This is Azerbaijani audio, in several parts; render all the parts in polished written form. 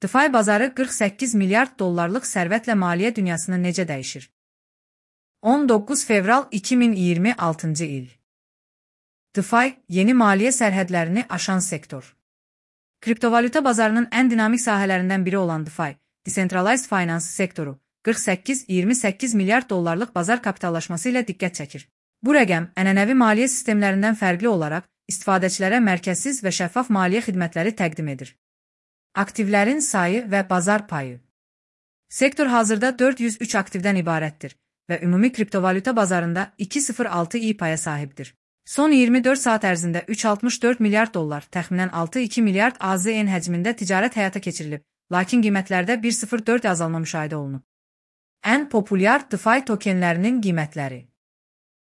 DeFi bazarı 48 milyard dollarlıq sərvətlə maliyyə dünyasını necə dəyişir? 19 fevral 2026-cı il. DeFi, yeni maliyyə sərhədlərini aşan sektor. Kriptovalyuta bazarının ən dinamik sahələrindən biri olan DeFi, Decentralized Finance sektoru, 48-28 milyard dollarlıq bazar kapitallaşması ilə diqqət çəkir. Bu rəqəm, ənənəvi maliyyə sistemlərindən fərqli olaraq, istifadəçilərə mərkəzsiz və şəffaf maliyyə xidmətləri təqdim edir. Aktivlərin sayı və bazar payı. Sektor hazırda 403 aktivdən ibarətdir və ümumi kriptovalyuta bazarında 2,06% paya sahibdir. Son 24 saat ərzində 3,64 milyard dollar, təxminən 6,2 milyard AZN həcmində ticarət həyata keçirilib, lakin qiymətlərdə 1,04% azalma müşahidə olunub. Ən populyar DeFi tokenlərinin qiymətləri.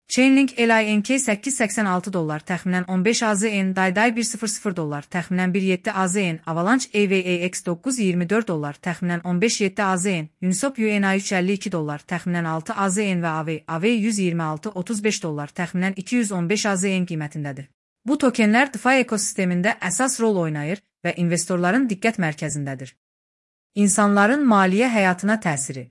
Chainlink LINK 886 dollar, təxminən 15 AZN, DAI 100 dollar, təxminən 1,7 AZN, Avalanche AVAX 924 dollar, təxminən 15,7 AZN, Uniswap UNI 352 dollar, təxminən 6 AZN və AV 126-35 dollar, təxminən 215 AZN qiymətindədir. Bu tokenlər DeFi ekosistemində əsas rol oynayır və investorların diqqət mərkəzindədir. İnsanların maliyyə həyatına təsiri.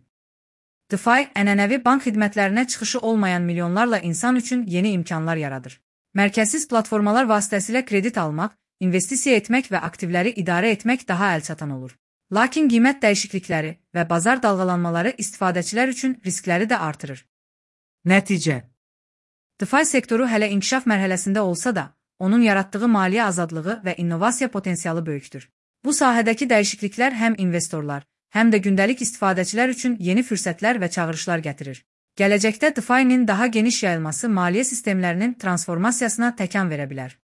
DeFi, ənənəvi bank xidmətlərinə çıxışı olmayan milyonlarla insan üçün yeni imkanlar yaradır. Mərkəzsiz platformalar vasitəsilə kredit almaq, investisiya etmək və aktivləri idarə etmək daha əlçatan olur. Lakin qiymət dəyişiklikləri və bazar dalğalanmaları istifadəçilər üçün riskləri də artırır. Nəticə. DeFi sektoru hələ inkişaf mərhələsində olsa da, onun yaratdığı maliyyə azadlığı və innovasiya potensialı böyükdür. Bu sahədəki dəyişikliklər həm investorlar, həm də gündəlik istifadəçilər üçün yeni fürsətlər və çağırışlar gətirir. Gələcəkdə DeFi-nin daha geniş yayılması maliyyə sistemlərinin transformasiyasına təkan verə bilər.